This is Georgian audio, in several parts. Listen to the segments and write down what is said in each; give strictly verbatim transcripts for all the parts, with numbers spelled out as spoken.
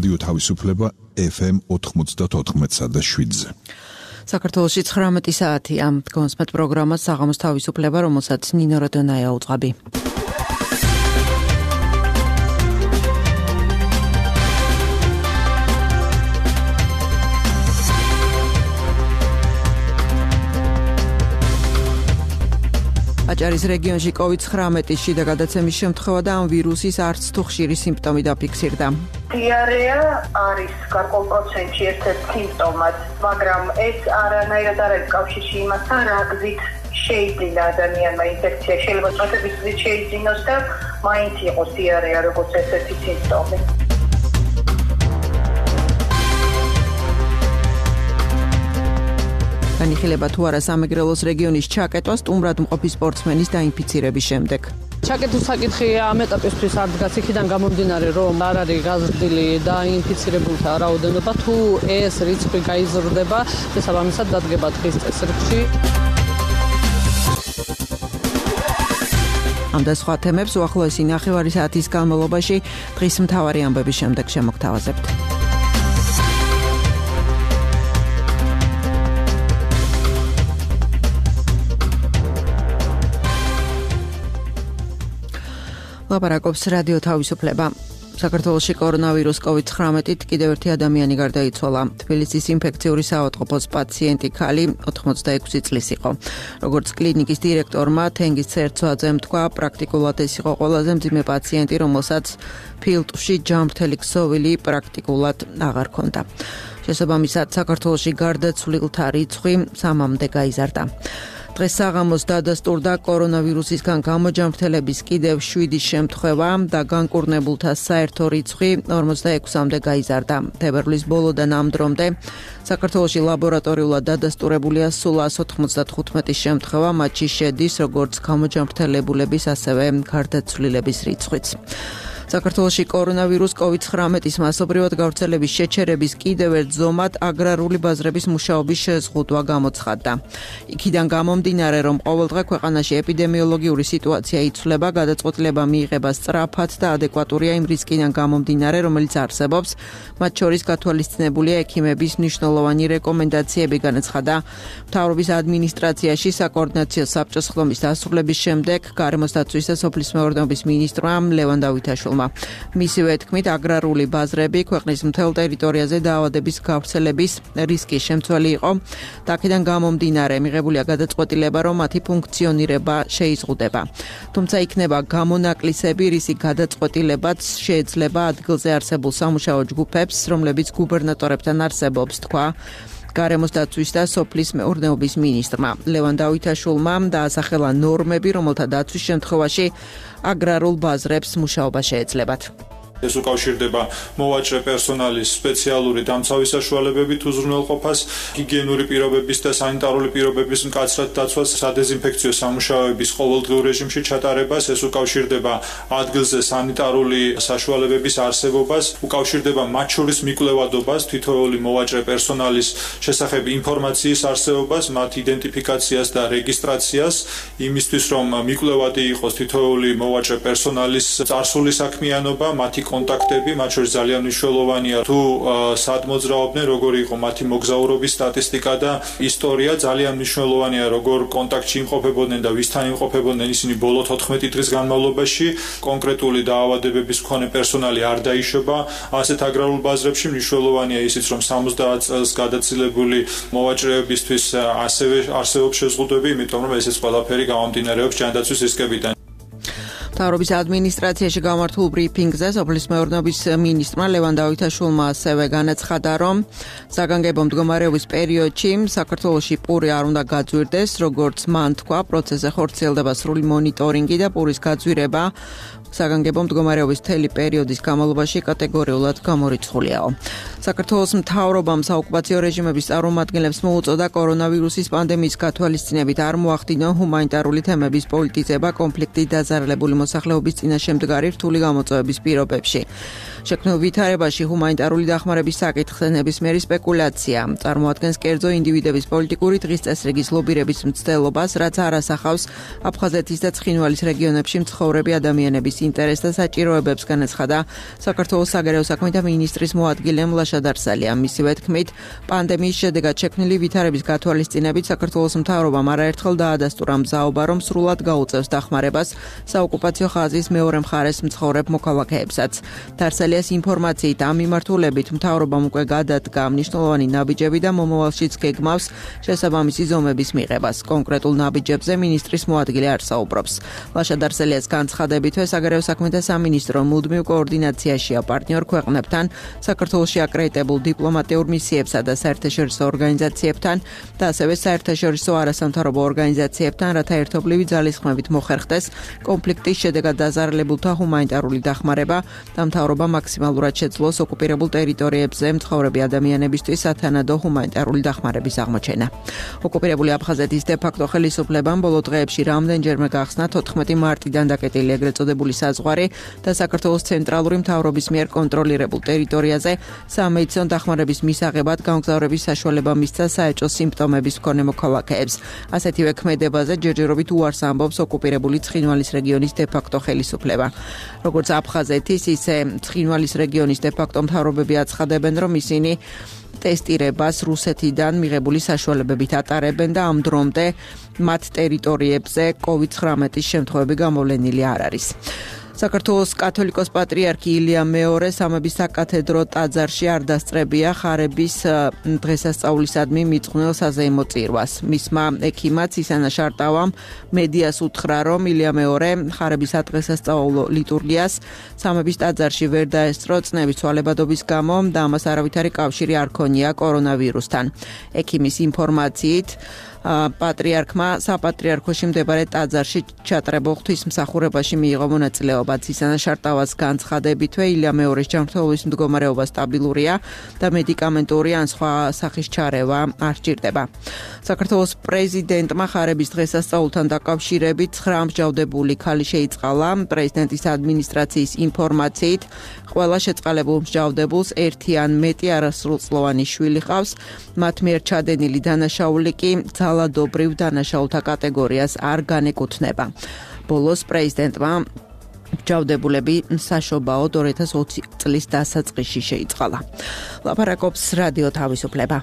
რადიო თავისუფლება ეფ ემ ოთხმოცდაოთხ და შვიდზე. საქართველოში ცხრამეტი საათია. გონსმეთ პროგრამას საღამოს თავისუფლება, რომელსაც ნინო როდონაია უწყაბი. აჭარის რეგიონში კოვიდ ცხრამეტის შიდა გადაცემის შემთხვევა და ამ ვირუსის არც თუ ხშირი სიმპტომი დაფიქსირდა. დიარეა არის გარკვეულ პროცენტში ერთ-ერთი სიმპტომად, მაგრამ ეს არანაირად არ არის კავშირში იმასთან, რა გზით შეიძლება ადამიანმა ინფექცია შეიძლება წვეთების გზით შეიძინოს და მაინც იყოს დიარეა როგორც ერთ-ერთი სიმპტომი. განიხილება თუ არა სამეგრელოს რეგიონის ჩაკეტვა სტუმრად მყოფი სპორტსმენის დაინფიცირების შემდეგ. ჩაკეტვის საკითხი ამ ეტაპისთვის არ დგას იქიდან გამომდინარე, რომ არ არის გაზრდილი დაინფიცირებულთა რაოდენობა, თუ ეს რიცხვი გაიზრდება, შესაბამისად დადგება დღის წესრიგში. ამ და სხვა თემებს უახლოესი ნახევარი საათის განმავლობაში დღის მთავარი ამბების შემდეგ შემოგთავაზებთ. ლაპარაკობს რადიო თავისუფლება. საქართველოში კორონავირუს კოვიდ ცხრამეტით კიდევ ერთი ადამიანი გარდაიცვალა. თბილისის ინფექციური საავადმყოფოს პაციენტი ქალი ოთხმოცდაექვსი წლის იყო. როგორც კლინიკის დირექტორმა თენგიზ ცერცვაძემ თქვა, პრაქტიკულად ეს იყო ყველაზე მძიმე პაციენტი, რომელსაც ფილტვში ჯამრთელი ქსოვილი პრაქტიკულად აღარ ჰქონდა. შესაბამისად, საქართველოში გარდაცვლილთა რიცხვი სამამდე გაიზარდა. დღეს საღამოს დადასტურდა კორონავირუსისგან გამოჯამრთელების კიდევ შვიდი შემთხვევა და განკურნებულთა საერთო რიცხვი ორმოცდაექვსამდე გაიზარდა. თებერვლის ბოლოდან ამ დრომდე საქართველოში ლაბორატორიულად დადასტურებულია სულ ას ოთხმოცდათხუთმეტი შემთხვევა, მათში შედის როგორც გამოჯამრთელებულების, ასევე გარდაცვლილების რიცხვიც. საქართველოში კორონავირუს კოვიდ ცხრამეტის მასობრივად გავრცელების შეჩერების კიდევ ერთ ზომად აგრარული ბაზრების მუშაობის შეზღუდვა გამოცხადდა. იქიდან გამომდინარე, რომ ყოველდღე ქვეყანაში ეპიდემიოლოგიური სიტუაცია იცვლება, გადაწყვეტილება მიიღება სწრაფად და ადეკვატურია იმ რისკიდან გამომდინარე, რომელიც არსებობს, მათ შორის გათვალისწინებულია ექიმების მნიშვნელოვანი რეკომენდაციები, განაცხადა მთავრობის ადმინისტრაციაში საკოორდინაციო საბჭოს ხდომის დასრულების შემდეგ გარემოს დაცვის და სოფლის მეურნეობის მინისტრმა ლევან დავითაშვილმა. მისივე თქმით, აგრარული ბაზრები ქვეყნის მთელ ტერიტორიაზე დაავადების გავრცელების რისკის შემცველი იყო და აქედან გამომდინარე მიღებულია გადაწყვეტილება, რომ მათი ფუნქციონირება შეიზღუდება. თუმცა იქნება გამონაკლისები, რისი გადაწყვეტილებაც შეეძლება ადგილზე არსებულ სამუშაო ჯგუფებს, რომლებიც გუბერნატორებთან არსებობს, თქვა გარემოს დაცვის და სოფლის მეურნეობის მინისტრმა ლევან დავითაშვილმა დაასახელა ნორმები, რომელთა დაცვის შემთხვევაში აგრარულ ბაზრებს მუშაობა შეეძლებათ. ეს უკავშირდება მოვაჭრე პერსონალის სპეციალური დამცავი საშუალებებით უზრუნველყოფას, ჰიგიენური პირობების და სანიტარული პირობების მკაცრად დაცვას, სადეზინფექციო სამუშაოების ყოველდღიურ რეჟიმში ჩატარებას, ეს უკავშირდება ადგილზე სანიტარული საშუალებების არსებობას, უკავშირდება მათ შორის მიკვლევადობას, თითოეული მოვაჭრე პერსონალის შესახებ ინფორმაციის არსებობას, მათ იდენტიფიკაციას და რეგისტრაციას, იმისთვის რომ მიკვლევადი იყოს თითოეული მოვაჭრე პერსონალის წარსული საქმიანობა, მათი კონტაქტები, მათ შორის ძალიან მნიშვნელოვანია თუ სად მოძრაობდნენ, როგორი იყო მათი მოგზაურობის სტატისტიკა და ისტორია, ძალიან მნიშვნელოვანია როგორ კონტაქტში იმყოფებოდნენ და ვისთან იმყოფებოდნენ ისინი ბოლო თოთხმეტი დღის განმავლობაში, კონკრეტული დაავადებების მქონე პერსონალი არ დაიშობა. ასეთ აგრარულ ბაზრებში მნიშვნელოვანია ისიც, რომ სამოცდაათ წელს გადაცილებული მოვაჭრეებისთვის ასევე არსებობს შეზღუდვები, იმიტომ რომ ესეც ყველაფერი გამომდინარეობს ჯანდაცვის რისკებიდან. მთავრობის ადმინისტრაციაში გამართულ ბრიფინგზე სოფლის მეურნეობის მინისტრმა ლევან დავითაშვილმა ასევე განაცხადა, რომ საგანგებო მდგომარეობის პერიოდში საქართველოში პური არ უნდა გაძვირდეს, როგორც მან თქვა, პროცესზე ხორციელდება სრული მონიტორინგი და პურის გაძვირება საგანგებო მდგომარეობის მთელი პერიოდის განმავლობაში კატეგორიულად გამორიცხულიაო. საქართველოს მთავრობამ საოკუპაციო რეჟიმების წარმომადგენლებს მოუწოდა კორონავირუსის პანდემიის გათვალისწინებით არ მოახდინონ ჰუმანიტარული თემების პოლიტიზება კონფლიქტით დაზარალებული მოსახლეობის წინაშემდგარი რთული გამოწვევების პირობებში. შექმნილ ვითარებაში ჰუმანიტარული დახმარების საკითხზე ნებისმიერი სპეკულაცია წარმოადგენს კერძო ინდივიდების პოლიტიკური დღის წესრიგის ლობირების მცდელობას, რაც არ ასახავს აფხაზეთის და ცხინვალის რეგიონებში მცხოვრები ადამიანების ინტერესს და საჭიროებებს განაცხადა საქართველოს საგარეო საქმეთა მინისტრის მოადგილე მლაშა დარსალია. მისივე თქმით, პანდემიის შედეგად შექმნილი ვითარების გათვალისწინებით საქართველოს მთავრობამ არაერთხელ დაადასტურა მზაობა, რომ სრულად გაუწევს დახმარებას საოკუპაციო ხაზის მეორე მხარეს მცხოვრებ მოქალაქეებსაც. დარსალიას ინფორმაციით ამ მიმართულებით მთავრობამ უკვე გადადგა მნიშვნელოვანი ნაბიჯები და მომავალშიც გეგმავს შესაბამისი ზომების მიღებას. კონკრეტულ ნაბიჯებზე მინისტრის მოადგილე არ საუბრობს. ლაშა დარსალიას განცხადებითვე საგარეო საქმეთა სამინისტრო მუდმივ კოორდინაციაშია პარტნიორ ქვეყნებთან, საქართველოში აკრედიტებულ დიპლომატიურ მისიებსა და საერთაშორისო ორგანიზაციებთან და ასევე საერთაშორისო არასამთავრობო ორგანიზაციებთან, რათა ერთობლივი ძალისხმევით მოხერხდეს კონფლიქტის შედეგად დაზარალებულთა ჰუმანიტარული დახმარება და მთავრობა მაქსიმალურად შეძლოს ოკუპირებულ ტერიტორიებზე მცხოვრები ადამიანებისთვის სათანადო ჰუმანიტარული დახმარების აღმოჩენა. ოკუპირებული აფხაზეთის დე-ფაქტო ხელისუფლებამ ბოლო დღეებში რამდენჯერმე გახსნა თოთხმეტი მარტიდან დაკეტილი ეგრეთ წოდებული საზღვარი და საქართველოს ცენტრალური მთავრობის მიერ კონტროლირებულ ტერიტორიაზე სამედიცინო დახმარების მისაღებად გამგზავრების საშუალება მისცა საეჭვო სიმპტომების მქონე მოქალაქეებს. ასეთივე ქმედებაზე ჯერჯერობით უარს ამბობს ოკუპირებული ცხინვალის რეგიონის დე-ფაქტო ხელისუფლება. როგორც აფხაზეთის, ისე ცხინვალის რეგიონის დე-ფაქტო მთავრობები აცხადებენ, რომ ისინი ტესტირებას რუსეთიდან მიღებული საშუალებებით ატარებენ და ამ დრომდე მათ ტერიტორიებზე კოვიდ ცხრამეტის შემთხვევები გამოვლენილი არ არის. საქართველოს კათოლიკოს პატრიარქი ილია მეორე სამების საკათედრო ტაძარში არ დასწრებია ხარების დღესასწაულისადმი მიძღვნილ საზეიმო წირვას. მისმა ექიმად ისანა შარტავამ მედიას უთხრა, რომ ილია მეორე ხარების ადღესასწაულო ლიტურგიას სამების ტაძარში ვერ დაესწრო წნევის ცვალებადობის გამო და ამას არავითარი კავშირი არ ქონია კორონავირუსთან. ექიმის ინფორმაციით პატრიარქმა საპატრიარქოში მდებარე ტაძარში ჩატარებულ ღვთისმსახურებაში მიიღო მონაწილეობა. ისანა შარტავას განცხადებითვე ილია მეორის ჯანმრთელობის მდგომარეობა სტაბილურია და მედიკამენტური ან სხვა სახის ჩარევა არ სჭირდება. საქართველოს პრეზიდენტმა ხარების დღესასწაულთან დაკავშირებით ცხრა მსჯავრდებული ქალი შეიწყალა. პრეზიდენტის ადმინისტრაციის ინფორმაციით ყველა შეწყალებულ მსჯავრდებულს ერთი ან მეტი არასრულწლოვანი შვილი ჰყავს. მათ მიერ ჩადენილი დანაშაული კი ძალადობრივ დანაშაულთა კატეგორიას არ განეკუთვნება. ბოლოს პრეზიდენტმა მსჯავრდებულები საშობაოდ ორი ათას ოცი წლის დასაწყისში შეიწყალა. ლაპარაკობს რადიო თავისუფლება.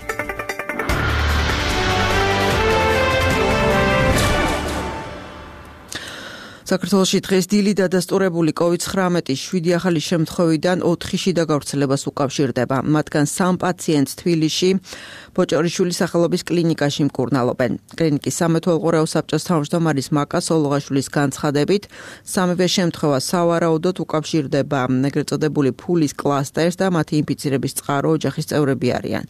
საქართველოში დღეს დილით დადასტურებული კოვიდ ცხრამეტის შვიდი ახალი შემთხვევიდან ოთხი შიდა გავრცელებას უკავშირდება. მათგან სამ პაციენტს თბილისში ბოჭორიშვილის სახელობის კლინიკაში მკურნალობენ. კლინიკის სამეთვალყურეო საბჭოს თავმჯდომარის მაკა სოლოღაშვილის განცხადებით, სამივე შემთხვევა სავარაუდოდ უკავშირდება ეგრეთ წოდებული ფულის კლასტერს და მათი ინფიცირების წყარო ოჯახის წევრები არიან.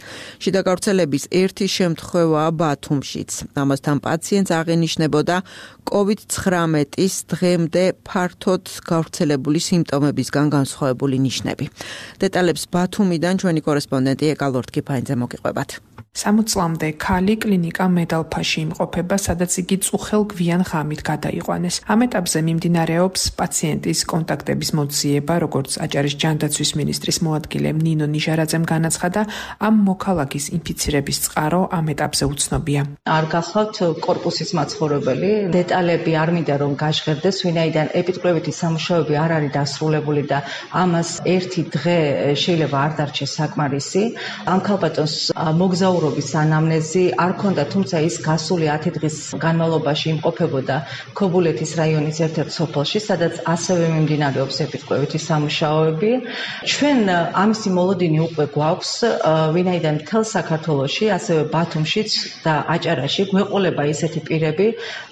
შიდა გავრცელების ერთი შემთხვევაა ბათუმშიც. ამასთან პაციენტს აღენიშნებოდა კოვიდ ცხრამეტის დღემდე ფართოდ გავრცელებული სიმპტომებისგან განსხვავებული ნიშნები. დეტალებს ბათუმიდან ჩვენი კორესპონდენტი ეკა ლორთქიფაინძე მოგიყვებათ. სამოცი წლამდე ქალი კლინიკა მედალფაში იმყოფება, სადაც იგი წუხელ გვიან ღამით გადაიყვანეს. ამ ეტაპზე მიმდინარეობს პაციენტის კონტაქტების მოძიება, როგორც აჭარის ჯანდაცვის მინისტრის მოადგილე ნინო ნიჟარაძემ განაცხადა, ამ მოქალაქის ინფიცირების წყარო ამ ეტაპზე უცნობია. არ გახლავთ კორპუსის მაცხოვრებელი, დეტალები არ მინდა რომ გაჟღერდეს, ვინაიდან ეპიდemiological სამუშაოები არ არის დასრულებული და ამას ერთი დღე შეიძლება არ დარჩეს საკმარისი. ამ ქალბატონს მოგზაურობის ანამნეზი არ ქონდა, თუმცა ის გასული ათი დღის განმავლობაში იმყოფებოდა ქობულეთის რაიონის ერთ-ერთ სოფელში, სადაც ასევე მიმდინარეობს ეპიდemiological სამუშაოები. ჩვენ ამისი მოლოდინი უკვე გვაქვს, ვინაიდან მთელ საქართველოში, ასევე ბათუმშიც და აჭარაში გვეყოლება ისეთი პირები,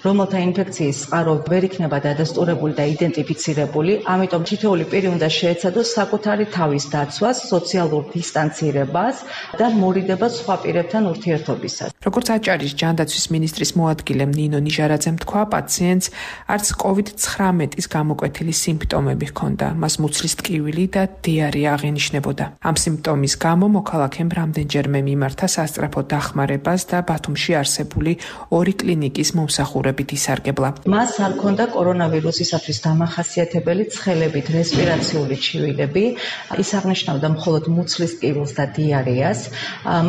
რომელთა ინფექციის წყარო ვერ იქნება დადასტურებული და იდენტიფიცირებული, ამიტომ თითოეული პირი უნდა შეეცადოს საკუთარი თავის დაცვას, სოციალურ დისტანცირებას და მორიდებას სხვა პირებთან ურთიერთობისას. როგორც აჭარის ჯანდაცვის მინისტრის მოადგილემ ნინო ნიჟარაძემ თქვა, პაციენტს არც კოვიდ ცხრამეტის გამოკვეთილი სიმპტომები ჰქონდა, მას მუცლის ტკივილი და დიარეა აღენიშნებოდა. ამ სიმპტომის გამო მოქალაქემ რამდენჯერმე მიმართა სასწრაფო დახმარებას და ბათუმში არსებული ორი კლინიკის მომსახურებით ისარგებლა. მას არ ქონდა კორონავირუსისათვის დამახასიათებელი ცხელებით რესპირაციული ჩივილები, ის აღნიშნავდა მხოლოდ მუცლის ტკივილს და დიარეას.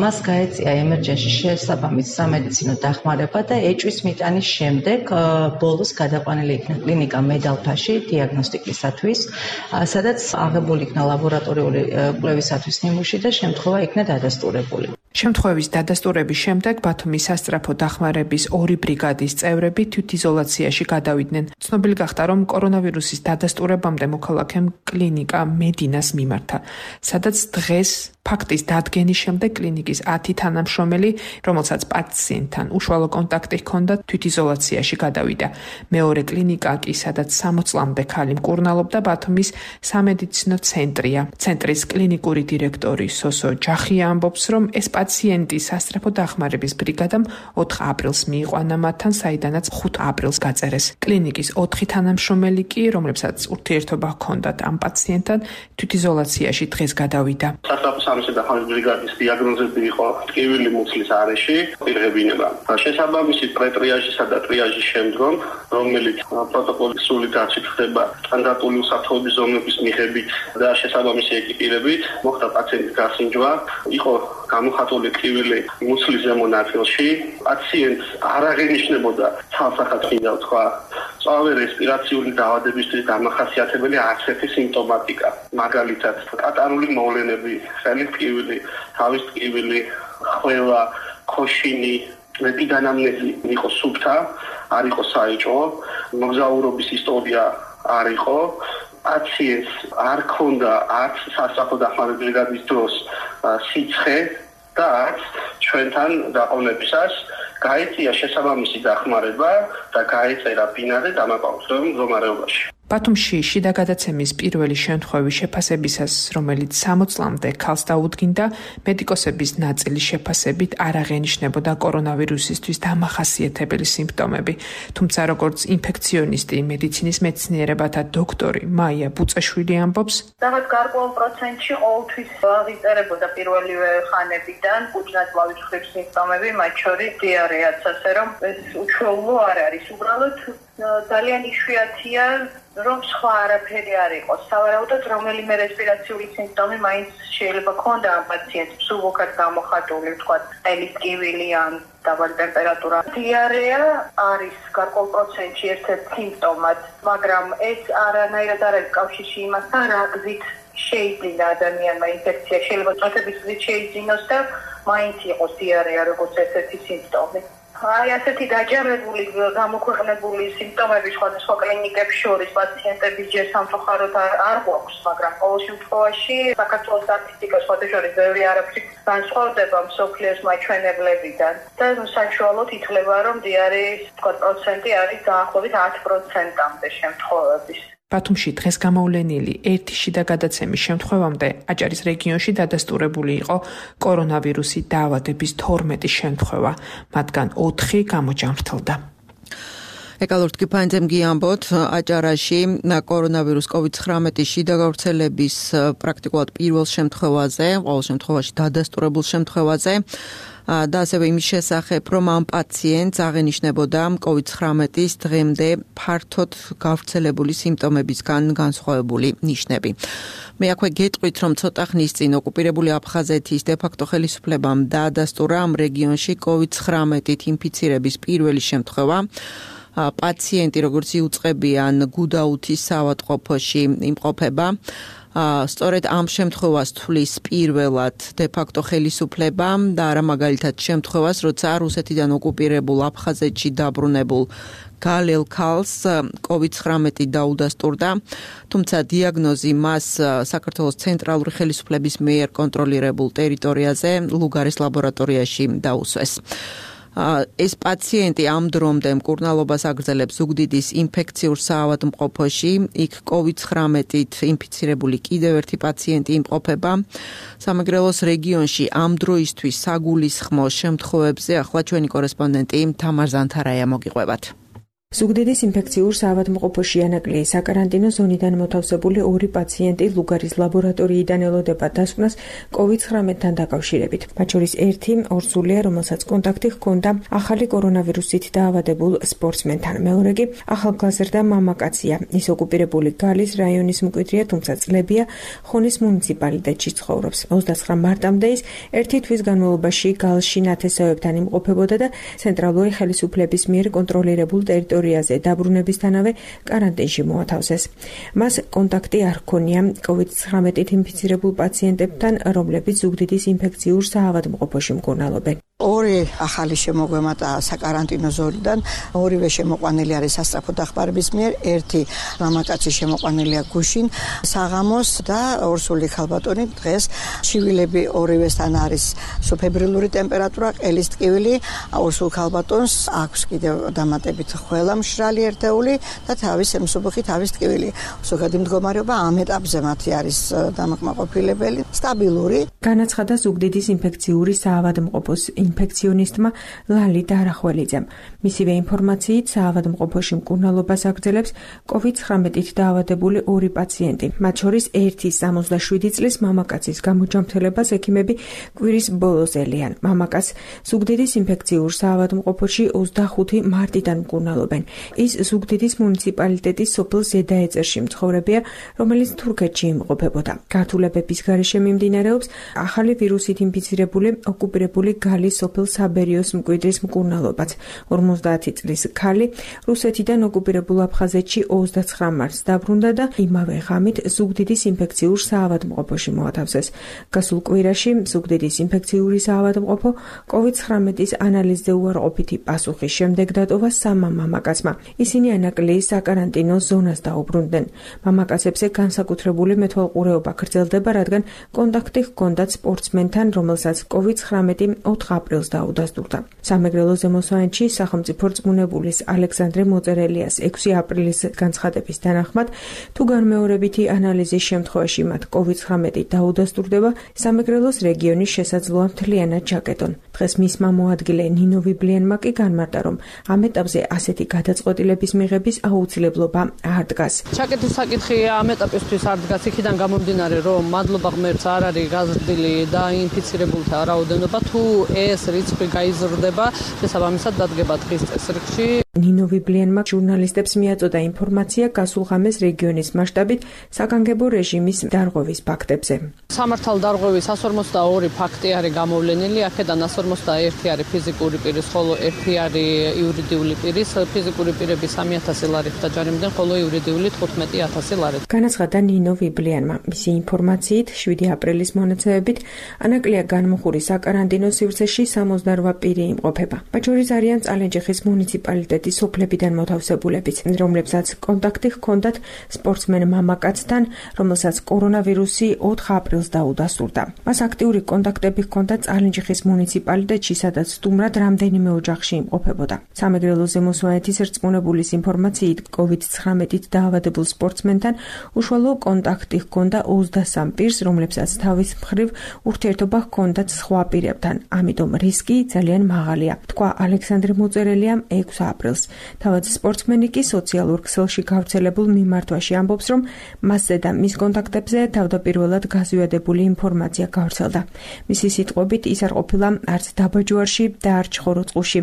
მას გაეწია იზოლაცია, ემერჯენსი, შესაბამის სამედიცინო დახმარება და ეჭვის მიტანის შემდეგ ბოლოს გადაყვანილი იქნა კლინიკა მედალფაში დიაგნოსტიკისათვის, სადაც აღებული იქნა ლაბორატორიული კვლევისათვის ნიმუში და შემთხვევა იქნა დადასტურებული. შემთხვევის დადასტურების შემდეგ ბათუმის სასწრაფო დახმარების ორი ბრიგადის წევრები თვითიზოლაციაში გადავიდნენ. ცნობილი გახდა, რომ კორონავირუსის დადასტურებამდე მოქალაქემ კლინიკა მედინას მიმართა, სადაც დღეს ფაქტის დადგენის შემდეგ კლინიკის ათი თანამშრომელი, რომელსაც პაციენტთან უშუალო კონტაქტი ჰქონდა, თვითიზოლაციაში გადავიდა. მეორე კლინიკა კი, სადაც სამოცლამდე ქალი მკურნალობდა, ბათუმის სამედიცინო ცენტრია. ცენტრის კლინიკური დირექტორი სოსო ჯახია ამბობს, რომ ეს პაციენტი სასწრაფო დახმარების ბრიგადამ ოთხ აპრილს მიიყვანა მათთან, საიდანაც ხუთ აპრილს გაწერეს. კლინიკის ოთხი თანამშრომელი კი, რომლებსაც ურთიერთობა ჰქონდათ ამ პაციენტთან, თვითიზოლაციაში დღეს გადავიდა. სამსა დახმარების ბრიგადის დიაგნოზები იყო ტკივილი მუცლის არეში, პირღებინება. შესაბამისი პრეტრიაჟისა და ტრიაჟის შემდგომ, რომელიც პროტოკოლის სრული დაცვით ხდება სტანდარტული უსაფრთხოების ზონების მიხედვით და შესაბამისი ეკიპირებით, მოხდა პაციენტის გასინჯვა, იყო გამოხატული ტკივილი მუცლის ზემო ნაწილში. პაციენტს არ აღინიშნებოდა ცალსახად მინდა ვთქვა, სწავე რესპირაციული დაავადებისთვის დამახასიათებელი არც ერთი სიმპტომატიკა. მაგალითად, კატარული მოვლენები, ხელის ტკივილი, თავის ტკივილი, ხველა, ქოშინი, ეპიდანამნეზი იყო სუფთა, არ იყო საეჭვო, მოგზაურობის ისტორია არ იყო. პაციენტს არ ქონდა არც სასწრაფო დახმარების ბრიგადის დროს სიცხე და არც ჩვენთან დაყოვნებისას გაეწია შესაბამისი დახმარება და გაეწერა ბინადე დამაკავშირებულ მდგომარეობაში. ბათუმში შიდა გადაცემის პირველი შემთხვევის შეფასებისას, რომელიც სამოცლამდე ქალს დაუდგინდა, მედიკოსების ნაწილის შეფასებით არ აღენიშნებოდა კორონავირუსისთვის დამახასიათებელი სიმპტომები. თუმცა, როგორც ინფექციონისტი, მედიცინის მეცნიერებათა დოქტორი მაია ბუწაშვილი ამბობს, რაღაც გარკვეულ პროცენტში ყოველთვის აღიწერებოდა პირველივე ხანებიდან კუჭ-ნაწლავის ხრის სიმპტომები, მათ შორის დიარეაც, ასე რომ ეს უჩვეულო არ არის. უბრალოდ ძალიან იშვიათია, რომ სხვა არაფერი არ იყოს. სავარაუდოდ, რომელიმე რესპირაციული სიმპტომი მაინც შეიძლება ქონდა ამ პაციენტს, მსუბუქად გამოხატული, ვთქვათ, ყელის ტკივილი ან დაბალი ტემპერატურა. დიარეა არის გარკვეულ პროცენტში ერთ-ერთი სიმპტომად, მაგრამ ეს არანაირად არ არის კავშირში იმასთან, რა გზით შეიძინა ადამიანმა ინფექცია. შეიძლება წვეთების გზით შეიძინოს და მაინც იყოს დიარეა როგორც ერთ-ერთი სიმპტომი. აი ასეთი დაჯერებული, გამოქვეყნებული სიმპტომები სხვადასხვა კლინიკებს შორის პაციენტების ჯერ სამწუხაროდ არ გვაქვს, მაგრამ ყოველ შემთხვევაში საქართველოს სტატისტიკა სხვათა შორის ბევრი არაფრით განსხვავდება მსოფლიოს მაჩვენებლებიდან და საშუალოდ ითვლება, რომ დიარეის პროცენტი არის დაახლოებით ათ პროცენტამდე შემთხვევების. ბათუმში დღეს გამოვლენილი ერთი შიდა გადაცემის შემთხვევამდე აჭარის რეგიონში დადასტურებული იყო კორონავირუსი დაავადების თორმეტი შემთხვევა, მათგან ოთხი გამოჯამრთელდა. ეკალორთ კიფანძემ გიამბოთ, აჭარაში კორონავირუს კოვიდ ცხრამეტი შიდა გავრცელების პრაქტიკულად პირველ შემთხვევაზე, ყოველ შემთხვევაში დადასტურებულ შემთხვევაზე და ასევე იმის შესახებ, რომ ამ პაციენტს აღენიშნებოდა კოვიდ ცხრამეტის დღემდე ფართოდ გავრცელებული სიმპტომებისგან განსხვავებული ნიშნები. მე აქვე გეტყვით, რომ ცოტა ხნის წინ ოკუპირებული აფხაზეთის დე-ფაქტო ხელისუფლებამ დაადასტურა ამ რეგიონში კოვიდ ცხრამეტით ინფიცირების პირველი შემთხვევა. პაციენტი, როგორც იუწყებიან, გუდაუთის საავადმყოფოში იმყოფება. სწორედ ამ შემთხვევას თვლის პირველად დე-ფაქტო ხელისუფლება და არა მაგალითად შემთხვევას, როცა რუსეთიდან ოკუპირებულ აფხაზეთში დაბრუნებულ გალელ ქალს კოვიდ ცხრამეტი დაუდასტურდა, თუმცა დიაგნოზი მას საქართველოს ცენტრალური ხელისუფლების მიერ კონტროლირებულ ტერიტორიაზე ლუგარის ლაბორატორიაში დაუსვეს. ეს პაციენტი ამ დრომდე მკურნალობას აგრძელებს ზუგდიდის ინფექციურ საავადმყოფოში, იქ კოვიდ ცხრამეტით ინფიცირებული კიდევ ერთი პაციენტი იმყოფება. სამეგრელოს რეგიონში ამ დროისთვის საგულისხმო შემთხვევებზე ახლა ჩვენი კორესპონდენტი თამარ ზანთარაია მოგიყვებათ. ზუგდიდის ინფექციურ საავადმყოფოში ანაკლიის საკარანტინო ზონიდან მოთავსებული ორი პაციენტი ლუგარის ლაბორატორიიდან ელოდება დასკვნას კოვიდ ცხრამეტთან დაკავშირებით. მათ შორის ერთი ორსულია, რომელსაც კონტაქტი ჰქონდა ახალი კორონავირუსით დაავადებულ სპორტსმენთან. მეორე კი ახალგაზრდა მამაკაცია. ის ოკუპირებული გალის რაიონის მკვიდრია, თუმცა წლებია ხონის მუნიციპალიტეტში ცხოვრობს. ოცდაცხრა მარტამდე ის ერთი თვის განმავლობაში გალში ნათესავებთან იმყოფებოდა და ცენტრალური ხელისუფლების მიერ კონტროლირებულ ტერიტორიაზე დაბრუნებისთანავე კარანტინში მოათავსეს. მას კონტაქტი არ ჰქონია კოვიდ ცხრამეტით ინფიცირებულ პაციენტებთან, რომლებიც ზუგდიდის ინფექციურ საავადმყოფოში მკურნალობენ. ორი ახალი შემოგვემატა საკარანტინო ზონიდან, ორივე შემოყვანილი არის სასწრაფო დახმარების მიერ, ერთი მამაკაცი შემოყვანილია გუშინ საღამოს და ორსული ქალბატონი დღეს. ჩივილები ორივესთან არის სუფებრილური ტემპერატურა, ყელის ტკივილი, ორსულ ქალბატონს აქვს კიდევ დამატებით ხველა მშრალი ერთეული და თავის ემსუბუხი, თავის ტკივილი. ზოგადი მდგომარეობა ამ ეტაპზე მათი არის დამაკმაყოფილებელი, სტაბილური. განაცხადა ზუგდიდის ინფექციური საავადმყოფოს ინფექციონისტმა ლალი დარახველიძემ. მისივე ინფორმაციით საავადმყოფოში მკურნალობას აგრძელებს კოვიდ ცხრამეტით დაავადებული ორი პაციენტი. მათ შორის ერთი სამოცდაშვიდი წლის მამაკაცის გამოჯანმრთელებას ექიმები კვირის ბოლოს ელიან. მამაკაც ზუგდიდის ინფექციურ საავადმყოფოში ოცდახუთი მარტიდან მკურნალობენ. ის ზუგდიდის მუნიციპალიტეტის სოფელ ზედაეწერში მცხოვრებია, რომელიც თურქეთში იმყოფებოდა. გართულებების გარეშე მიმდინარეობს ახალი ვირუსით ინფიცირებული ოკუპირებული გალის სოფელ საბერიოს მკვიდრის მკურნალობაც. ორმოცდაათი წლის ქალი რუსეთიდან ოკუპირებულ აფხაზეთში ოცდაცხრა მარტს დაბრუნდა და იმავე ღამით ზუგდიდის ინფექციურ საავადმყოფოში მოათავსეს. გასულ კვირაში ზუგდიდის ინფექციური საავადმყოფო კოვიდ ცხრამეტის ანალიზზე უარყოფითი პასუხის შემდეგ დატოვა სამმა მამაკაცმა. ისინი ანაკლიის საკარანტინო ზონას დაუბრუნდნენ. მამაკაცებზე განსაკუთრებული მეთვალყურეობა გრძელდება, რადგან კონტაქტი ჰქონდათ სპორტსმენთან, რომელსაც კოვიდ ცხრამეტი ოთხ აპრილს დაუდასტურდა. სამეგრელო ზემოსვანეთში სახელმწიფო რწმუნებულის ალექსანდრე მოწერელიას ექვსი აპრილის განცხადების თანახმად, თუ განმეორებითი ანალიზის შემთხვევაში მათ კოვიდ ცხრამეტი დაუდასტურდება, სამეგრელოს რეგიონის შესაძლოა მთლიანად ჩაკეტონ. დღეს მისმა მოადგილე ნინო ვიბლიანმა კი განმარტა, რომ ამ ეტაპზე ასეთი გადაწყვეტილების მიღების აუცილებლობა არ დგას. ჩაკეტის საკითხი ამ ეტაპისთვის არ დგას, იქიდან გამომდინარე, რომ მადლობა ღმერთს არ არის გაზრდილი და ინფიცირებულთა რაოდენობა, თუ ეს რიცხვი გაიზრდება, შესაბამისად დადგება დღის წესრიგში. ნინო ვიბლიანმა ჟურნალისტებს მიაწოდა ინფორმაცია გასულ ღამეს რეგიონის მასშტაბით საგანგებო რეჟიმის დარღვევის ფაქტებზე. სამართალ დარღვევის εκατს ორმოცდაორი ფაქტი არის გამოვლენილი, აქედან εκατს ორმოცდაერთი არის ფიზიკური პირის, ხოლო ერთი არის იურიდიული პირის. ფიზიკური პირები სამი ათასი ლარით დაჯარიმდნენ, ხოლო იურიდიული თხუთმეტი ათასი ლარით. განაცხადა ნინო ვიბლიანმა. მისი ინფორმაციით შვიდი აპრილის მონაცემებით ანაკლია განმუხურის საკარანტინო სივრცეში სამოცდარვა პირი იმყოფება. მათ შორის არიან წალენჯიხის მუნიციპალიტეტის სოფლებიდან მოთავსებულებიც, რომლებსაც კონტაქტი ჰქონდათ სპორტსმენ მამაკაცთან, რომელსაც კორონავირუსი ოთხ აპრილს დაუდასტურდა. მას აქტიური კონტაქტები ჰქონდა წალენჯიხის მუნიციპალიტეტში, სადაც სტუმრად რამდენიმე ოჯახში იმყოფებოდა. სამეგრელო ზემოსვანეთის რწმუნებულის ინფორმაციით, კოვიდ ცხრამეტით დაავადებულ სპორტსმენთან უშუალო კონტაქტი ჰქონდა ოცდასამ პირს, რომლებსაც თავის მხრივ ურთიერთობა ჰქონდათ სხვა პირებთან. ამიტომ რისკი ძალიან მაღალია, თქვა ალექსანდრე მოწერელიამ ექვსი აპრილს. თავად სპორტსმენი კი სოციალურ ქსელში გავრცელებულ მიმართვაში ამბობს, რომ მასზე და მის კონტაქტებზე თავდაპირველად გაზვიადებული ინფორმაცია გავრცელდა. მისი სიტყვებით, ის არ ყოფილა არც დაბაჯوارში და არც ხოროწყუში.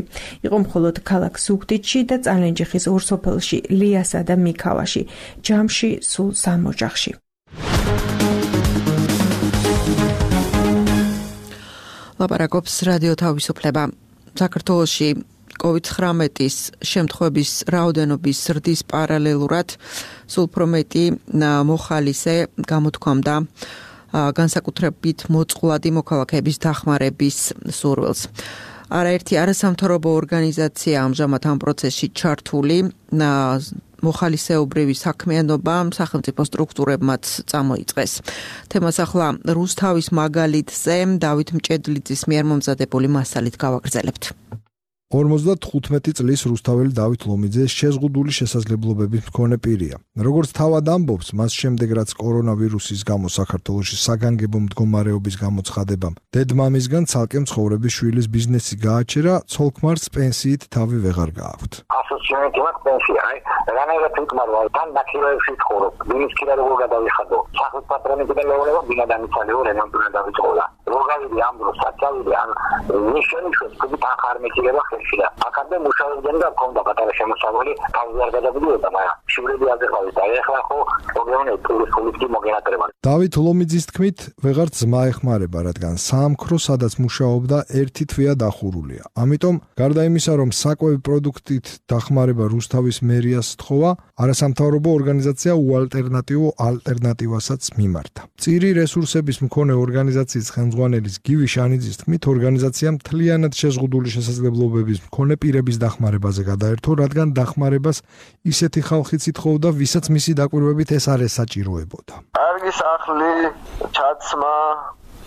იყო მხოლოდ ქალაქ ზუგდიდში და წალენჯიხის ორ სოფელში, ლიასა და მიქავაში, ჯამში სულ სამ ოჯახში. ლაპარაკობს რადიო თავისუფლება. საქართველოში კოვიდ ცხრამეტის შემთხვევების რაოდენობის ზრდის პარალელურად სულ უფრო მეტი მოხალისე გამოთქვამდა განსაკუთრებით მოწყვლადი მოქალაქეების დახმარების სურვილს. არაერთი არასამთავრობო ორგანიზაცია ამჟამად ამ პროცესში ჩართული. მოხალისეობრივი საქმიანობა სახელმწიფო სტრუქტურებმაც წამოიწყეს. თემას ახლა რუსთავის მაგალითზე დავით მჭედლიძის მიერ მომზადებული მასალით გავაგრძელებთ. ორმოცდათხუთმეტი წლის რუსთაველი დავით ლომიძე შეზღუდული შესაძლებლობების მქონე პირია. როგორც თავად ამბობს, მას შემდეგ რაც კორონავირუსის გამო საქართველოში საგანგებო მდგომარეობის გამოცხადებამ დედმამისგან ცალკე მცხოვრების შვილის ბიზნესი გააჩერა, ცოლ-ქმარს პენსიით თავი ვეღარ გააქვთ. ასოცირებული პენსია, აი, რანაირად უკმარვა, თან დაქირავებში ცხოვრობ, ბინის ქირა როგორ გადავიხადო, სახლის პატრონებიდან მეუბნება, ბინა დამიცალიო, რემონტი დავიწყოლა. როგორი ამ დროს საწავილი ან ნიშანი შეწყდი თანხარმეტილება ხელში და აქამდე მუშაობდნენ და მქონდა პატარა შემოსავალი, თავზე არ გადაგდიოდა, მაგრამ შვილები აზერბაიჯანში და ეხლა ხო პრობლემა ტურისტული მოგენატრება. დავით ლომიძის თქმით, ვეღარ ძმა ეხმარება, რადგან საამქრო, სადაც მუშაობდა, ერთი თვეა დახურულია. ამიტომ, გარდა იმისა, რომ საკვები პროდუქტით დახმარება რუსთავის მერიას სთხოვა, არასამთავრობო ორგანიზაცია უალტერნატივო ალტერნატივასაც მიმართა. წირი რესურსების მქონე ორგანიზაციის ხელმძღვანელის გივი შანიძის თქმით, ორგანიზაციამ მთლიანად შეზღუდული შესაძლებლობების მქონე პირების დახმარებაზე გადაერთო, რადგან დახმარებას ისეთი ხალხიც ითხოვდა, ვისაც მისი დაკვირვებით ეს არ ესაჭიროებოდა. კარგი სახლი, ჩაცმა,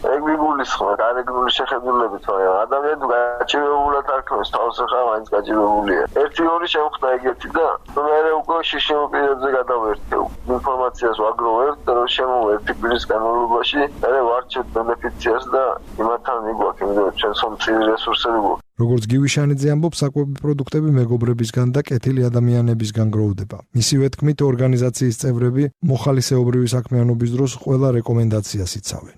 ეგ მიგულისხმე, გარეგნული შეხედულებით, მაგრამ ადამიანი გაჭირებულად არქმევს, თავს ახლა მაინც გაჭირებულია. ერთი ორი შემხდა ეგეთი და მე უკვე შიშიმ პირებზე გადავერთე. ინფორმაციას ვაგროვებთ, რომ შემოვერთი პირის განმავლობაში, მე ვარჩევ ბენეფიციარს და იმათთან მიგვაქვს, იმიტომ რომ ჩვენ სომცილი რესურსები გვაქვს. როგორც გივი შანიძე ამბობს, საკვები პროდუქტები მეგობრებისგან და კეთილი ადამიანებისგან გროვდება. მისივე თქმით, ორგანიზაციის წევრები მოხალისეობრივი საქმიანობის დროს ყველა რეკომენდაციას იცავენ.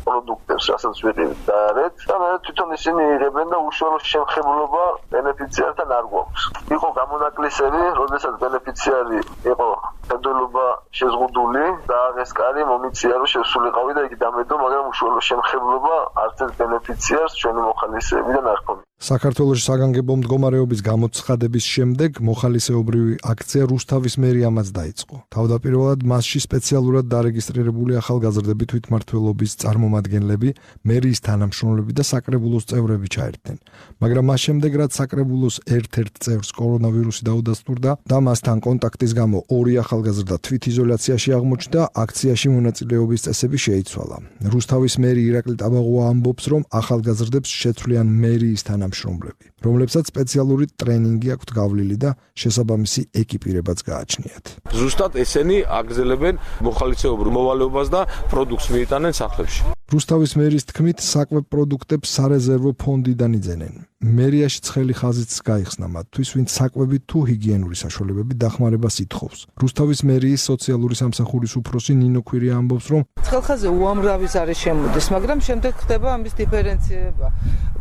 პროდუქტებს, რასაც ვიყიდით და არეთ და მე თვითონ ისინი იღებენ და უშუალო შემხებლობა ბენეფიციართან არ გვაქვს. იყო გამონაკლისები, როდესაც ბენეფიციარი იყო ფედერალობა შეზღუდული და ეს კარი მომიწია რომ შესულიყავი და იგი დამედო, მაგრამ უშუალო შემხებლობა არც ერთ ბენეფიციარს ჩვენი მოხალისეებიდან არ ჰქონია. საქართველოში საგანგებო მდგომარეობის გამოცხადების შემდეგ მოხალისეობრივი აქცია რუსთავის მერიამაც დაიწყო. თავდაპირველად მასში სპეციალურად დარეგისტრირებული ახალგაზრდები თვითმმართველობის წარმომადგენლები, მერიის თანამშრომლები და საკრებულოს წევრები ჩაერთნენ. მაგრამ მას შემდეგ, რაც საკრებულოს ერთ-ერთ წევრს კორონავირუსი დაუდასტურდა და მასთან კონტაქტის გამო ორი ახალგაზრდა თვითიზოლაციაში აღმოჩნდა, აქციაში მონაწილეობის წესები შეიცვალა. რუსთავის მერი ირაკლი ტაბაღოა ამბობს, რომ ახალგაზრდებს შეცვლიან მერიის თანამშრომლები, რომლებსაც სპეციალური ტრენინგი აქვთ გავლილი და შესაბამისი ეკიპირებაც გააჩნიათ. ზუსტად ესენი აგრძელებენ მოხალისეობრივ მოვალეობას და პროდუქტს მიიტანენ სახლებში. რუსთავის მერის თქმით, საკვებ პროდუქტებს სარეზერვო ფონდიდან იძენენ. მერიაში ცხელი ხაზიც გაიხსნა მათთვის, ვინც საკვები თუ ჰიგიენური საშუალებები დახმარებას ითხოვს. რუსთავის მერიის სოციალური სამსახურის უფროსი ნინო ქვირია ამბობს, რომ ცხელხაზე უამრავის არის შემოდის, მაგრამ შემდეგ ხდება ამის დიფერენცირება.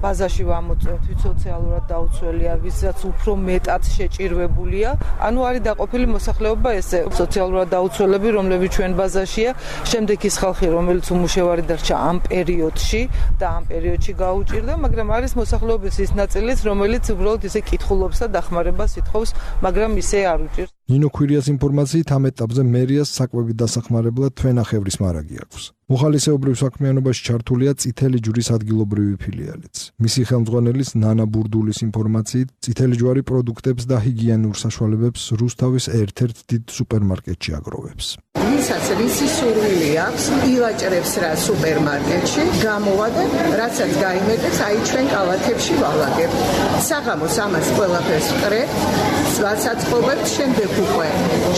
ბაზაში ვამოწევთ, ვინც სოციალურად დაუცველია, ვისაც უფრო მეტად შეჭირვებულია. ანუ არის დაყოფილი მოსახლეობა ესე, სოციალურად დაუცველები, რომლებიც ჩვენ ბაზაშია, შემდეგ ის ხალხი, რომელიც უმუშევარი დარჩა ამ პერიოდში და ამ პერიოდში გაუჭირდა, მაგრამ არის მოსახლეობის ის ნაწილიც, რომელიც უბრალოდ ისე კითხულობს და დახმარებას ითხოვს, მაგრამ ისე არ უჭირს. ნინო ქვირიას ინფორმაციით ამ ეტაპზე მერიას საკვებით დასახმარებლად თვენახევრის მარაგი აქვს. მოხალისეობრივ საქმიანობაში ჩართულია წითელი ჯვრის ადგილობრივი ფილიალიც. მისი ხელმძღვანელის ნანა ბურდულის ინფორმაციით, წითელი ჯვარი პროდუქტებს და ჰიგიენურ საშუალებებს რუსთავის ერთ-ერთ დიდ სუპერმარკეტში აგროვებს. ვისაც რისი სურვილი აქვს, ილაჭრებს რა სუპერმარკეტში, გამოვა და რაცაც გაიმეტეს, აი ჩვენ კალათებში ვალაგებ. საღამოს ამას ყველაფერს ვკრებთ, სვასაწყობებთ, შემდეგ უკვე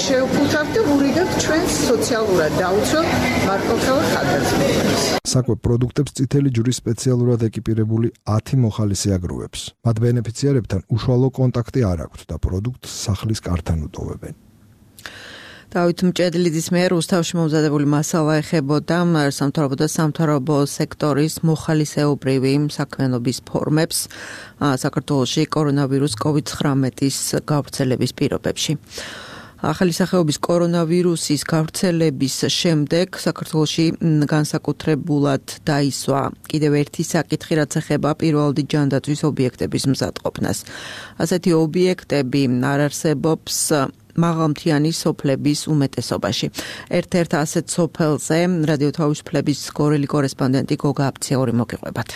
შევფუთავთ და ვურიგებთ ჩვენს სოციალურად დაუცველ მარტოხელ ხარჯებს. საკვებ პროდუქტებს წითელი ჯვრის სპეციალურად ეკიპირებული ათი მოხალისე აგროვებს. მათ ბენეფიციარებთან უშუალო კონტაქტი არ აქვთ და პროდუქტს სახლის კართან უტოვებენ. დავით მჭედლიძის მიერ რუსთავში მომზადებული მასალა ეხებოდა სამთავრობო და სამთავრობო სექტორის მოხალისეობრივი საქმიანობის ფორმებს საქართველოში კორონავირუს კოვიდ ცხრამეტის გავრცელების პირობებში. ახალი სახეობის კორონავირუსის გავრცელების შემდეგ საქართველოში განსაკუთრებულად დაისვა კიდევ ერთი საკითხი, რაც ეხება პირველადი ჯანდაცვის ობიექტების მზადყოფნას. ასეთი ობიექტები არ არსებობს მაღალმთიანი სოფლების უმეტესობაში. ერთ-ერთ ასეთ სოფელზე რადიო თავისუფლების გორელი კორესპონდენტი გოგა აფციური მოგიყვებათ.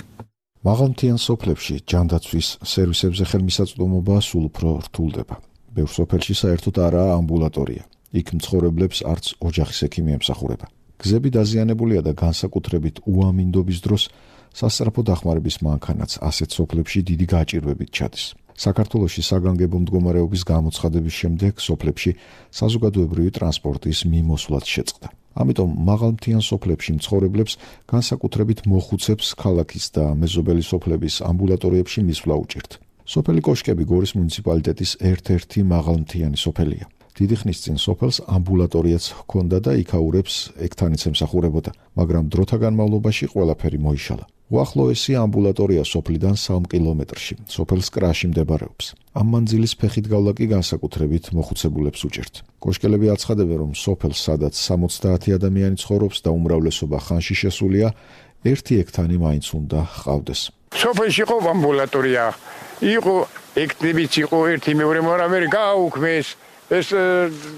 მაღალმთიან სოფლებში ჯანდაცვის სერვისებზე ხელმისაწვდომობა სულ უფრო რთულდება. ბევრ სოფელში საერთოდ არაა ამბულატორია. იქ მცხოვრებლებს არც ოჯახის ექიმი ემსახურება. გზები დაზიანებულია და განსაკუთრებით უამინდობის დროს სასწრაფო დახმარების მანქანაც ასეთ სოფლებში დიდი გაჭირვებით ჩადის. საქართველოში საგანგებო მდგომარეობის გამოცხადების შემდეგ სოფლებში საზოგადოებრივი ტრანსპორტის მიმოსვლაც შეწყდა. ამიტომ მაღალმთიან სოფლებში მცხოვრებლებს განსაკუთრებით მოხუცებს ქალაქის და მეზობელი სოფლების ამბულატორიებში მისვლა უჭირთ. სოფელი კოშკები გორის მუნიციპალიტეტის ერთ-ერთი მაღალმთიანი სოფელია. დიდი ხნის წინ სოფელს ამბულატორიაც ჰქონდა და იქაურებს ექთანიც ემსახურებოდა, მაგრამ დროთა განმავლობაში ყველაფერი მოიშალა. უახლოესი ამბულატორია სოფლიდან სამ კილომეტრში, სოფელს კრაში მდებარეობს. ამ მანძილის ფეხით გავლა კი განსაკუთრებით მოხუცებულებს უჭერთ. კოშკელები აცხადებენ, რომ სოფელს, სადაც სამოცდაათი ადამიანი ცხოვრობს და უმრავლესობა ხანში შესულია, ერთი ექთანი მაინც უნდა ჰყავდეს. სოფელში იყო ამბულატორია, იყო ექთნებიც იყო ერთი მეორე, მაგრამ ვერ გააუქმეს. ეს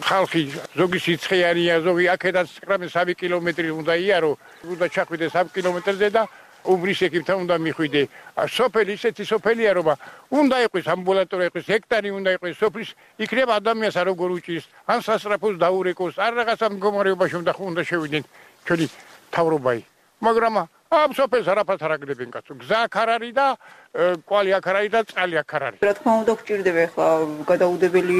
ხალხი ზოგი სიცხეარია, ზოგი აქედან სამი კილომეტრი უნდა იარო, უნდა ჩახვიდე სამი კილომეტრზე და უბრის ექიმთან უნდა მიხვიდე. სოფელი ისეთი სოფელია, რომ უნდა იყოს ამბულატორია, იყოს ჰექტარი უნდა იყოს სოფლის, იქნება ადამიანს არ როგორ უჭირს, ან სასწრაფოს დაურეკოს, არ რაღაცა მდგომარეობაში უნდა უნდა შევიდნენ ჩვენი თავრობაი. მაგრამ ამ სოფელს არაფერს არ აგდებენ კაცო. გზა აქ არ არის და კვალი აქ არ არის და წყალი აქ არ არის. რა თქმა უნდა გვჭირდება ახლა გადაუდებელი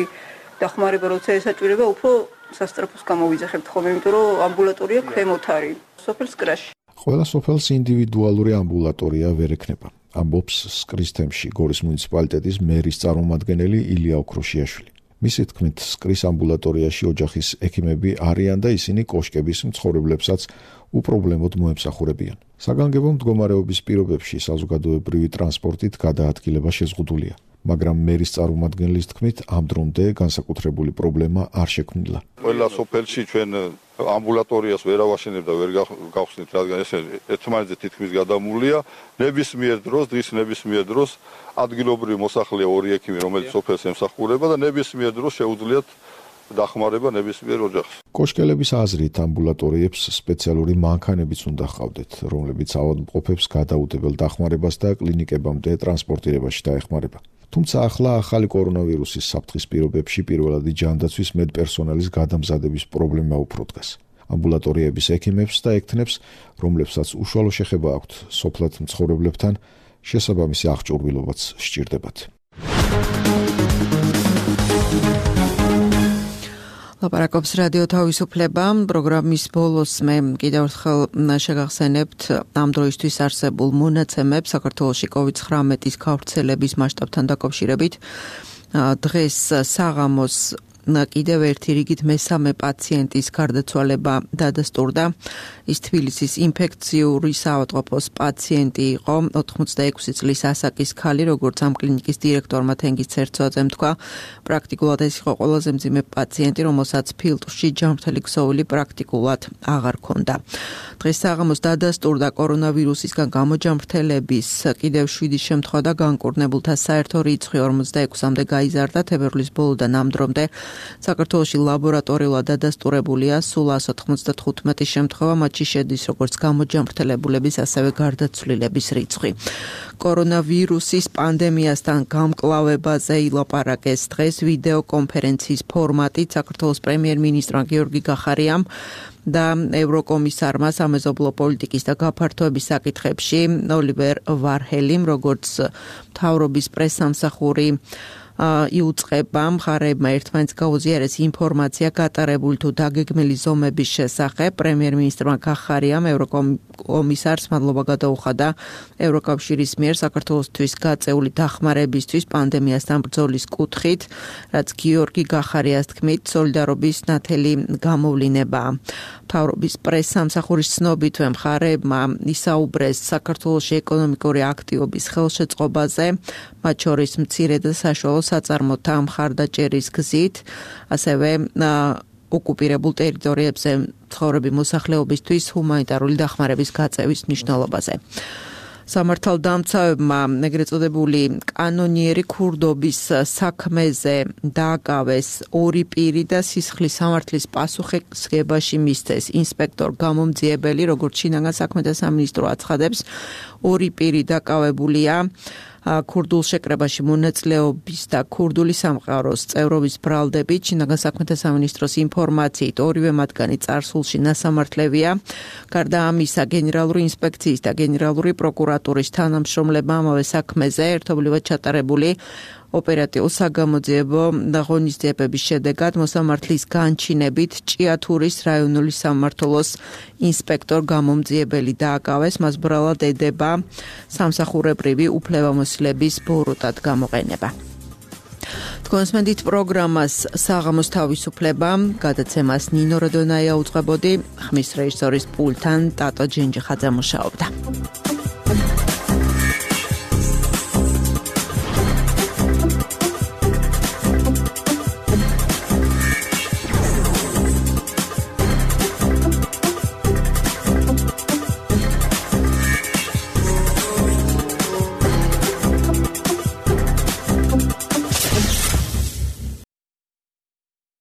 დახმარება, როცა ესაჭირება, უფრო სასწრაფოს გამოვიძახებთ ხოლმე, იმიტომ რომ ამბულატორია ქვემოთ არის, სოფელს კრაში. ყველა სოფელს ინდივიდუალური ამბულატორია ვერ ექნება. ამბობს სკრის თემში გორის მუნიციპალიტეტის მერის წარმომადგენელი ილია ოქროშიაშვილი. მისი თქმით, სკრის ამბულატორიაში ოჯახის ექიმები არიან და ისინი კოშკების მცხოვრებლებსაც უპრობლემოდ მოემსახურებიან. საგანგებო მდგომარეობის პირობებში საზოგადოებრივი ტრანსპორტით გადაადგილება შეზღუდულია. მაგრამ მერის წარმომადგენლის თქმით, ამ დრომდე განსაკუთრებული პრობლემა არ შექმნილა. ყველა სოფელში ჩვენ ამბულატორიას ვერ ავაშენებთ და ვერ გავხსნით, რადგან ეს ერთმანეთზე თითქმის გადამულია. ნებისმიერ დროს, დღის ნებისმიერ დროს ადგილობრივი მოსახლეა ორი ექიმი, რომელიც სოფელს ემსახურება და ნებისმიერ დროს შეუძლიათ დახმარება ნებისმიერ ოჯახს. კოშკელების აზრით ამბულატორიებს სპეციალური მანქანებიც უნდა ჰყავდეთ, რომლებიც ავადმყოფებს გადაუდებელ დახმარებას და კლინიკებამდე ტრანსპორტირებაში დაეხმარება. თუმცა ახლა ახალი კორონავირუსის საფრთხის პირობებში პირველადი ჯანდაცვის მედპერსონალის გადამზადების პრობლემა უფრო დგას. ამბულატორიების ექიმებს და ექთნებს, რომლებსაც უშუალო შეხება აქვთ სოფლად მცხოვრებლებთან, შესაბამისი აღჭურვილობაც სჭირდებათ. ლაპარაკობს რადიო თავისუფლება. პროგრამის ბოლოს მე კიდევ ერთხელ შეგახსენებთ ამ დროისთვის არსებულ მონაცემებს საქართველოში კოვიდ ცხრამეტის გავრცელების მასშტაბთან დაკავშირებით. დღეს საღამოს კიდევ ერთი რიგით მესამე პაციენტის გარდაცვალება დადასტურდა. ის თბილისის ინფექციური საავადმყოფოს პაციენტი იყო, ოთხმოცდაექვსი წლის ასაკის ქალი, როგორც ამ კლინიკის დირექტორმა თენგიზ ცერცვაძემ თქვა. პრაქტიკულად ეს იყო ყველაზე მძიმე პაციენტი, რომელსაც ფილტვში ჯანმრთელი ქსოვილი პრაქტიკულად აღარ ჰქონდა. დღეს საღამოს დადასტურდა კორონავირუსისგან გამოჯანმრთელების კიდევ შვიდი შემთხვევა და განკურნებულთა საერთო რიცხვი ორმოცდაექვსამდე გაიზარდა. თებერვლის ბოლოდან ამ დრომდე საქართველოში ლაბორატორიულად დადასტურებულია სულ ასი ოცდათხუთმეტი შემთხვევა, მათში შედის როგორც გამოჯანმრთელებულების, ასევე გარდაცვლილების რიცხვი. კორონავირუსის პანდემიასთან გამკლავებაზე ილაპარაკეს დღეს ვიდეო კონფერენციის ფორმატით საქართველოს პრემიერ-მინისტრმა გიორგი გახარიამ და ევროკომისარმა სამეზობლო პოლიტიკის და გაფართოების საკითხებში ოლივერ ვარჰელიმ, როგორც მთავრობის პრესსამსახური იუწყება მხარეებმა ერთმანეთს გაუზიარეს ინფორმაცია გატარებული თუ დაგეგმილი ზომების შესახებ. პრემიერ-მინისტრმა გახარიამ ევროკომისარს მადლობა გადაუხადა ევროკავშირის მიერ საქართველოსთვის გაწეული დახმარებისთვის პანდემიასთან ბრძოლის კუთხით, რაც გიორგი გახარიას თქმით სოლიდარობის ნათელი გამოვლინებაა. მთავრობის პრესსამსახურის ცნობით მხარეებმა ისაუბრეს საქართველოში ეკონომიკური აქტივობის ხელშეწყობაზე, მათ შორის მცირე და საშუალო საწარმოთა მხარდაჭერის გზით, ასევე ოკუპირებულ ტერიტორიებზე მცხოვრები მოსახლეობისთვის ჰუმანიტარული დახმარების გაწევის მნიშვნელობაზე. სამართალდამცავებმა ეგრეთ წოდებული კანონიერი ქურდობის საქმეზე დააკავეს ორი პირი და სისხლის სამართლის პასუხისმგებაში მისცეს ინსპექტორ გამომძიებელი, როგორც შინაგან საქმეთა სამინისტრო აცხადებს, ორი პირი დაკავებულია ქურდულ შეკრებაში მონაწილეობის და ქურდული სამყაროს წევრობის ბრალდებით შინაგან საქმეთა სამინისტროს ინფორმაციით ორივე მათგანი წარსულში ნასამართლევია. გარდა ამისა, გენერალური ინსპექციის და გენერალური პროკურატურის თანამშრომლებმა ამავე საქმეზე ერთობლივად ჩატარებული ოპერატიულ-საგამოძიებო ღონისძიებების შედეგად მოსამართლის განჩინებით ჭიათურის რაიონული სამმართველოს ინსპექტორ გამომძიებელი დააკავეს, მას ბრალად ედება სამსახურებრივი უფლებამოსილების ბოროტად გამოყენება. თქვენს მენდით პროგრამას საღამოს თავისუფლება, გადაცემას ნინო როდონაია უძღვებოდი, ხმის რეჟისორის პულტთან ტატო ჯენჯიხაძე მუშაობდა.